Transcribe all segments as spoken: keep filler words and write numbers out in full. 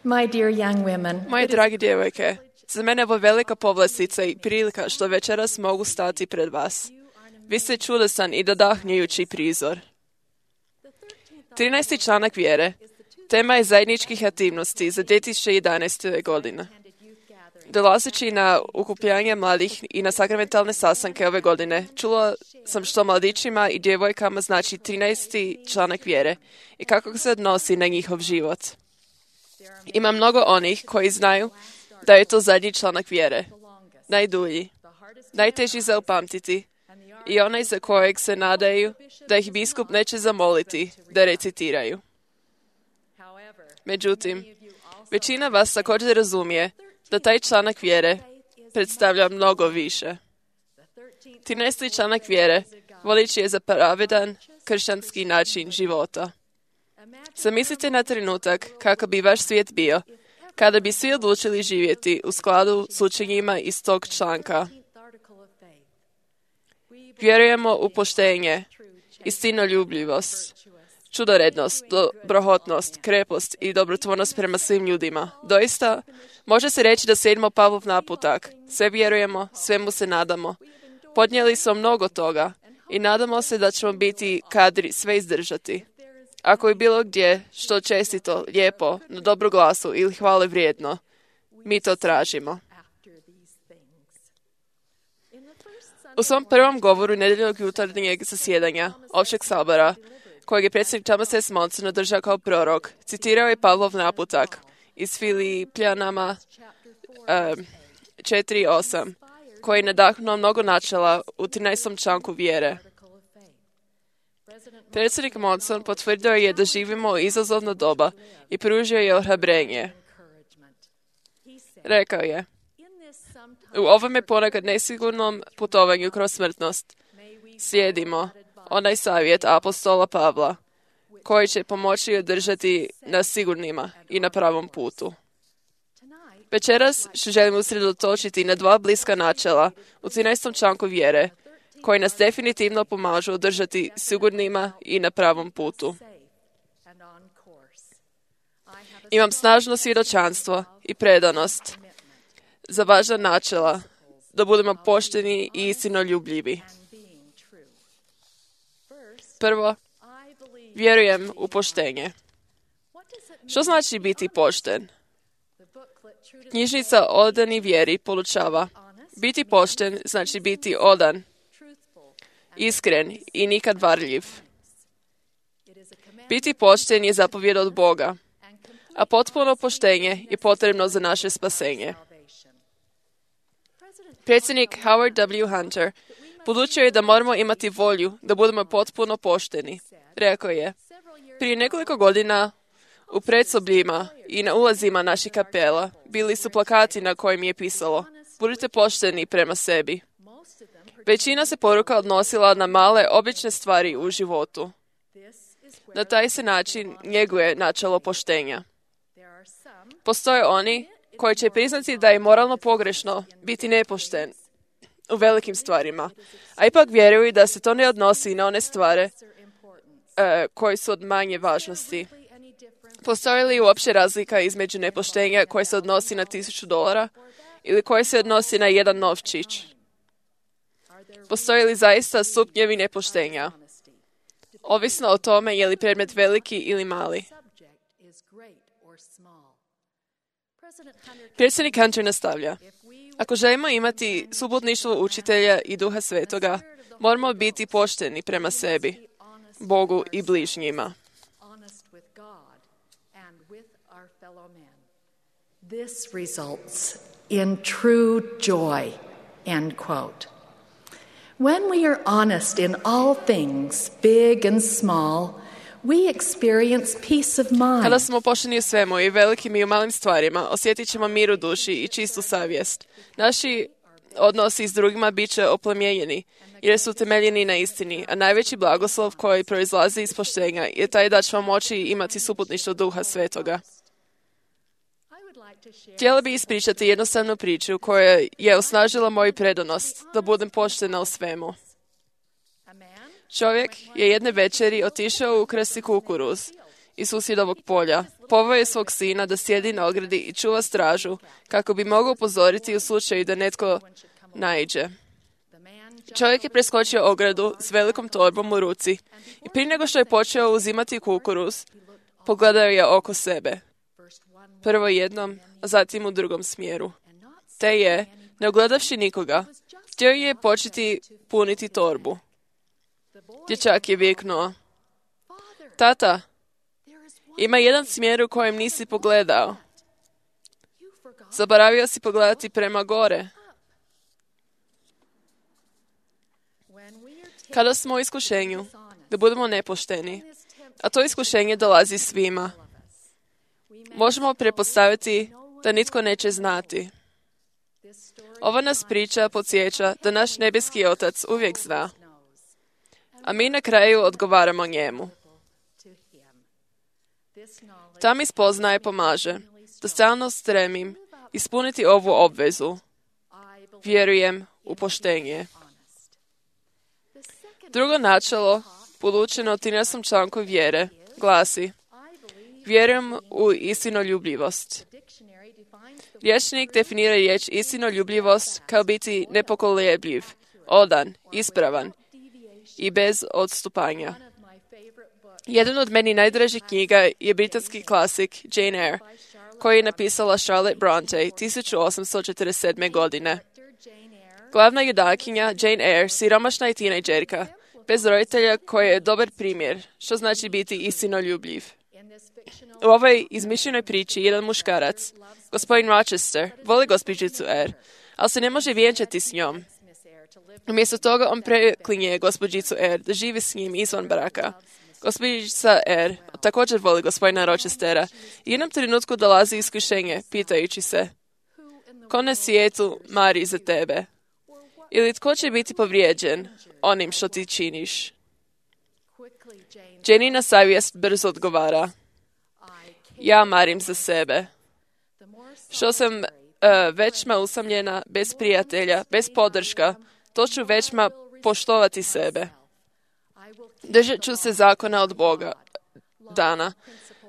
My dear young women, Moje dragi djevojke, za mene je ovo velika povlastica i prilika što večeras mogu stati pred vas. Vi ste čudosan i nadahnjujući prizor. trinaesti članak vjere. Tema je zajedničkih aktivnosti za dvije tisuće jedanaeste. godine. Dolazeći na okupljanje mladih i na sakramentalne sastanke ove godine, čula sam što mladićima i djevojkama znači trinaesti članak vjere i kako se odnosi na njihov život. Ima mnogo onih koji znaju da je to zadnji članak vjere, najdulji, najteži za upamtiti i onaj za kojeg se nadaju da ih biskup neće zamoliti da recitiraju. Međutim, većina vas također razumije da taj članak vjere predstavlja mnogo više. trinaesti članak vjere voliči je za pravedan kršćanski način života. Zamislite na trenutak kako bi vaš svijet bio kada bi svi odlučili živjeti u skladu s učenjima iz tog članka. Vjerujemo u poštenje, istinoljubljivost, čudorednost, dobrohotnost, krepost i dobrotvornost prema svim ljudima. Doista, može se reći da slijedimo Pavlov naputak. Sve vjerujemo, svemu se nadamo. Podnijeli smo mnogo toga i nadamo se da ćemo biti kadri sve izdržati. Ako je bilo gdje što čestito, lijepo, na dobru glasu ili hvale vrijedno, mi to tražimo. U svom prvom govoru nedjeljnog jutarnjeg zasjedanja općeg sabora, kojeg je predsjednik Thomas S. Monson održao kao prorok, citirao je Pavlov naputak iz Filipljanama um, četiri osam, koji je nadahnuo mnogo načela u trinaestom članku vjere. Predsjednik Monson potvrdio je da živimo u izazovno doba i pružio je ohrabrenje. Rekao je, u ovome ponekad nesigurnom putovanju kroz smrtnost slijedimo onaj savjet apostola Pavla, koji će pomoći održati nas sigurnima i na pravom putu. Večeras želim usredotočiti na dva bliska načela u trinaestom članku vjere, koji nas definitivno pomažu održati sigurnima i na pravom putu. Imam snažno svjedočanstvo i predanost za važna načela, da budemo pošteni i istinoljubljivi. Prvo, vjerujem u poštenje. Što znači biti pošten? Knjižnica Odani vjeri podučava. Biti pošten znači biti odan, iskren i nikad varljiv. Biti pošten je zapovjed od Boga, a potpuno poštenje je potrebno za naše spasenje. Predsjednik Howard W. Hunter podučio je da moramo imati volju da budemo potpuno pošteni. Rekao je, prije nekoliko godina u predsobljima i na ulazima naših kapela bili su plakati na kojim je pisalo budite pošteni prema sebi. Većina se poruka odnosila na male, obične stvari u životu. Na taj se način njeguje načelo poštenja. Postoje oni koji će priznati da je moralno pogrešno biti nepošten u velikim stvarima, a ipak vjeruju da se to ne odnosi na one stvari e, koje su od manje važnosti. Postoji li uopće razlika između nepoštenja koje se odnosi na tisuću dolara ili koje se odnosi na jedan novčić? Postoji li zaista stupnjevi nepoštenja? Ovisno o tome je li predmet veliki ili mali. Predsjednik Hunter nastavlja. Ako želimo imati subotništvo učitelja i Duha Svetoga, moramo biti pošteni prema sebi, Bogu i bližnjima. This results in true joy, end quote. When we are honest in all things, big and small, we experience peace of mind. Kada smo pošteni u svemu i velikim i u malim stvarima, osjetit ćemo mir u duši i čistu savjest. Naši odnosi s drugima bit će oplemenjeni, jer su temeljeni na istini, a najveći blagoslov koji proizlazi iz poštenja je taj da ćemo moći imati suputništvo Duha Svetoga. Htjela bi ispričati jednostavnu priču koja je osnažila moju predanost da budem poštena u svemu. Čovjek je jedne večeri otišao ukrasti kukuruz iz susjedovog polja, poveo je svog sina da sjedi na ogradi i čuva stražu, kako bi mogao upozoriti u slučaju da netko naiđe. Čovjek je preskočio ogradu s velikom torbom u ruci i prije nego što je počeo uzimati kukuruz, pogledao je oko sebe. Prvo jednom, a zatim u drugom smjeru. Te je, ne ugledavši nikoga, htio je početi puniti torbu. Dječak je viknuo: Tata, ima jedan smjer u kojem nisi pogledao. Zaboravio si pogledati prema gore. Kada smo u iskušenju, da budemo nepošteni, a to iskušenje dolazi svima, možemo pretpostaviti da nitko neće znati. Ova nas priča podsjeća da naš nebeski Otac uvijek zna, a mi na kraju odgovaramo njemu. Ta mi spoznaje pomaže da stalno stremim ispuniti ovu obvezu. Vjerujem u poštenje. Drugo načelo, podučeno u trinaestom članku vjere, glasi: vjerujem u istinoljubljivost. Rječnik definira riječ istinoljubljivost kao biti nepokolebljiv, odan, ispravan i bez odstupanja. Jedan od meni najdražih knjiga je britanski klasik Jane Eyre, koji je napisala Charlotte Bronte tisuću osamsto četrdeset sedme. godine. Glavna junakinja Jane Eyre siromašna je tinejdžerka, bez roditelja, koji je dobar primjer, što znači biti istinoljubljiv. U ovoj izmišljenoj priči jedan muškarac, gospodin Rochester, voli gospođicu Eyre, ali se ne može vjenčati s njom. Umjesto toga on preklinje gospođicu Eyre da živi s njim izvan braka. Gospođica Eyre također voli gospodina Rochestera i u jednom trenutku dolazi iskušenje, pitajući se: ko na svijetu mari za tebe? Ili tko će biti povrijeđen onim što ti činiš? Janina savjest brzo odgovara: ja marim za sebe. Što sam uh, većma usamljena, bez prijatelja, bez podrška, to ću većma poštovati sebe. Držat ću se zakona od Boga dana.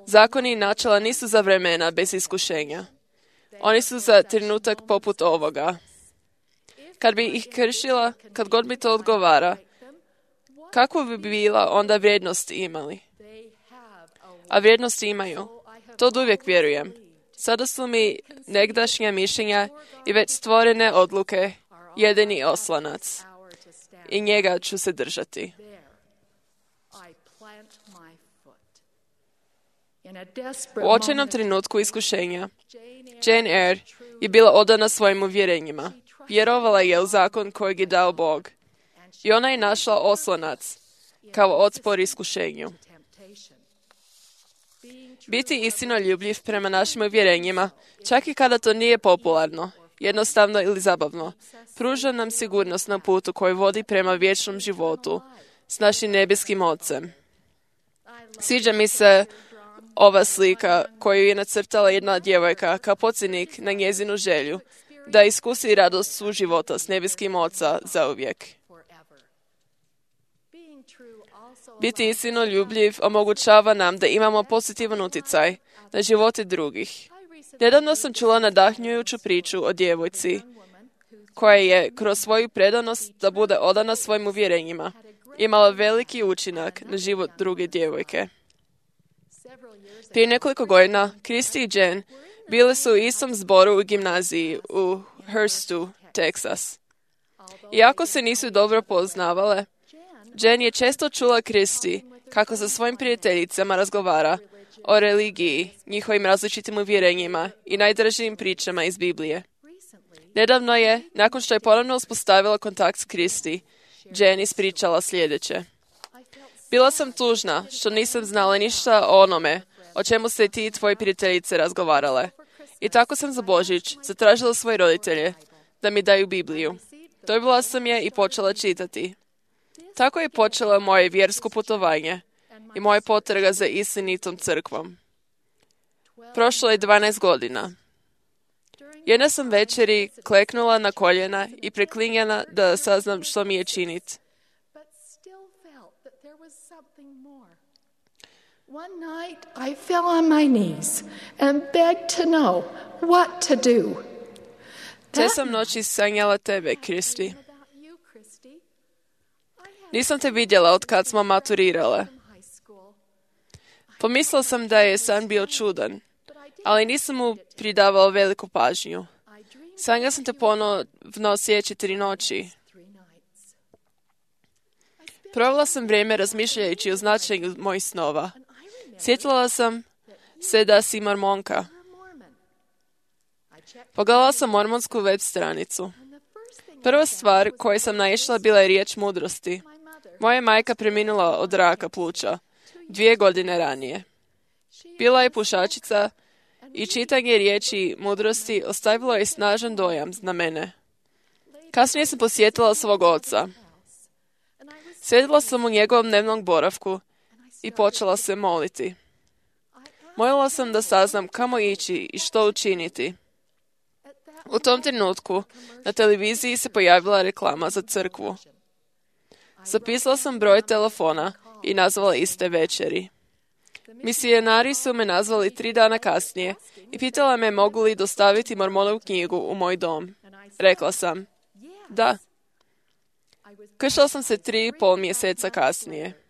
Zakoni i načela nisu za vremena bez iskušenja. Oni su za trenutak poput ovoga. Kad bi ih kršila, kad god mi to odgovara, kakvu bi bila onda vrijednost imali? A vrijednost imaju. To uvijek vjerujem. Sada su mi negdašnja mišljenja i već stvorene odluke jedini oslanac. I njega ću se držati. U očajnom trenutku iskušenja, Jane Eyre je bila odana svojim uvjerenjima. Vjerovala je u zakon kojeg je dao Bog. I ona je našla oslonac kao otpor iskušenju. Biti istinoljubljiv prema našim uvjerenjima, čak i kada to nije popularno, jednostavno ili zabavno, pruža nam sigurnost na putu koji vodi prema vječnom životu s našim nebeskim Ocem. Sviđa mi se ova slika koju je nacrtala jedna djevojka kao podsjetnik na njezinu želju da iskusi radost suživota s nebeskim Oca zauvijek. Biti istinoljubljiv omogućava nam da imamo pozitivan utjecaj na živote drugih. Nedavno sam čula nadahnjujuću priču o djevojci koja je kroz svoju predanost da bude odana svojim uvjerenjima imala veliki učinak na život druge djevojke. Prije nekoliko godina Kristi i Jen bile su u istom zboru u gimnaziji u Hurstu, Texas. Iako se nisu dobro poznavale, Jen je često čula Kristi kako sa svojim prijateljicama razgovara o religiji, njihovim različitim uvjerenjima i najdražijim pričama iz Biblije. Nedavno je, nakon što je ponovno uspostavila kontakt s Kristi, Jen ispričala sljedeće. Bila sam tužna što nisam znala ništa o onome o čemu se ti i tvoji prijateljice razgovarale. I tako sam za Božić zatražila svoje roditelje da mi daju Bibliju. Dobila sam je i počela čitati. Tako je počelo moje vjersko putovanje i moja potraga za istinitom crkvom. Prošlo je dvanaest godina. Jedna sam večeri kleknula na koljena i preklinjena da saznam što mi je činiti. One night I fell on my knees and begged to know what to do. Te sam noći sanjala tebe, Kristi. Nisam te vidjela od kad smo maturirale. Pomislila sam da je san bio čudan, ali nisam mu pridavao veliku pažnju. Sanjala sam te ponovno sljedeće tri noći. Provela sam vrijeme razmišljajući o značenju mojih snova. Sjetila sam se da si mormonka. Pogledala sam mormonsku web stranicu. Prva stvar koju sam naišla bila je riječ mudrosti. Moja majka preminula od raka pluća dvije godine ranije. Bila je pušačica i čitanje riječi mudrosti ostavilo je snažan dojam na mene. Kasnije sam posjetila svog oca. Sjedila sam u njegovom dnevnom boravku i počela se moliti. Molila sam da saznam kamo ići i što učiniti. U tom trenutku na televiziji se pojavila reklama za crkvu. Zapisala sam broj telefona i nazvala iste večeri. Misionari su me nazvali tri dana kasnije i pitala me mogu li dostaviti Mormonovu knjigu u moj dom. Rekla sam, da. Kršala sam se tri i pol mjeseca kasnije.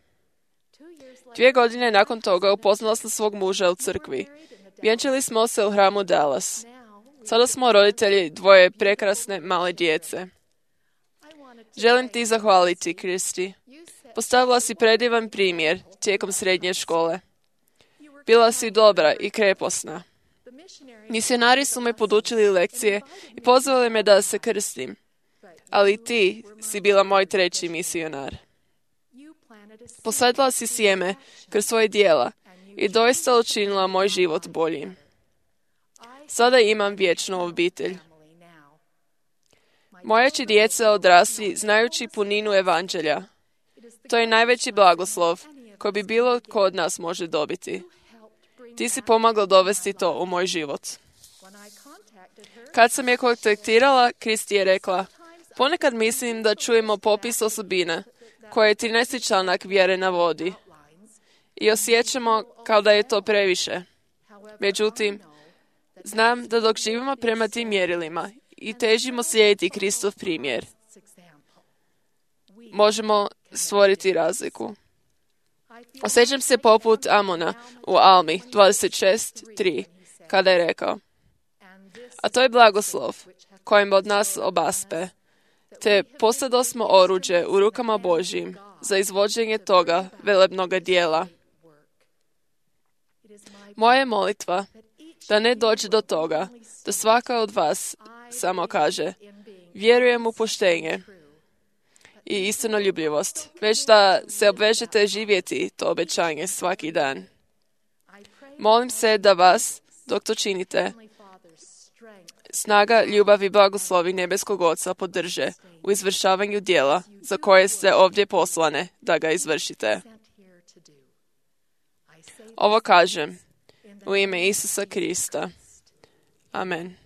Dvije godine nakon toga upoznala sam svog muža u crkvi. Vjenčali smo se u hramu Dallas. Sada smo roditelji dvoje prekrasne male djece. Želim ti zahvaliti, Kristi. Postavila si predivan primjer tijekom srednje škole. Bila si dobra i kreposna. Misionari su me podučili lekcije i pozvali me da se krstim. Ali ti si bila moj treći misionar. Posadila si sjeme kroz svoje dijela i doista učinila moj život boljim. Sada imam vječnu obitelj. Moja će djeca odrasti znajući puninu evanđelja. To je najveći blagoslov koji bi bilo tko od nas može dobiti. Ti si pomogla dovesti to u moj život. Kad sam je kontaktirala, Kristi je rekla, ponekad mislim da čujemo popis osobina koje je trinaesti članak vjere navodi i osjećamo kao da je to previše. Međutim, znam da dok živimo prema tim mjerilima i težimo slijediti Kristov primjer, možemo stvoriti razliku. Osjećam se poput Amona u Almi dvadeset šest tri, kada je rekao, a to je blagoslov kojim od nas obaspe, te postadosmo oruđe u rukama Božjim za izvođenje toga velebnoga dijela. Moja je molitva da ne dođe do toga da svaka od vas samo kaže vjerujem u poštenje i istinoljubljivost, već da se obvežete živjeti to obećanje svaki dan. Molim se da vas, dok to činite, snaga, ljubav i blagoslovi nebeskog Oca podrže u izvršavanju dijela za koje ste ovdje poslane da ga izvršite. Ovo kažem u ime Isusa Krista. Amen.